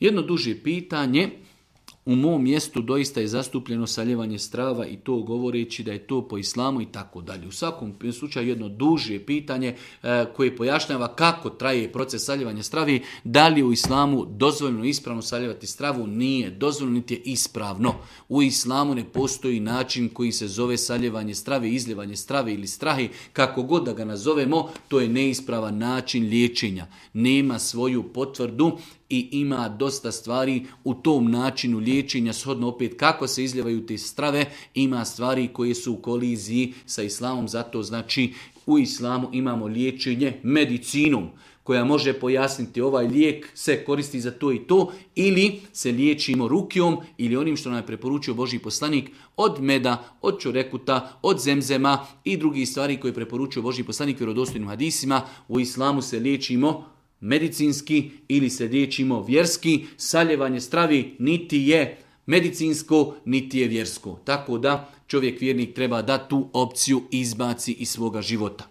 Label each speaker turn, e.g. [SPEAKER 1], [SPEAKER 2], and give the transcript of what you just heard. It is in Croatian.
[SPEAKER 1] Jedno duže pitanje. U mom mjestu doista je zastupljeno saljevanje strava i to govoreći da je to po islamu i tako dalje. U svakom slučaju jedno duže pitanje koje pojašnjava kako traje proces saljevanja stravi, da li je u islamu dozvoljeno ispravno saljevati stravu, nije dozvoljeno niti je ispravno. U islamu ne postoji način koji se zove saljevanje strave, izljevanje strave ili strahi, kako god da ga nazovemo, to je neispravan način liječenja. Nema svoju potvrdu i ima dosta stvari u tom načinu liječenja, shodno opet kako se izljevaju te strave, ima stvari koje su u koliziji sa islamom, zato znači u islamu imamo liječenje medicinom, koja može pojasniti ovaj lijek se koristi za to i to, ili se liječimo rukijom ili onim što nam je preporučio Božji poslanik od meda, od čorekuta, od zemzema i drugih stvari koje je preporučio Božji poslanik vjerodostojnim hadisima. U islamu se liječimo medicinski ili se liječimo vjerski. Saljevanje stravi niti je medicinsko, niti je vjersko. Tako da čovjek vjernik treba da tu opciju izbaci iz svoga života.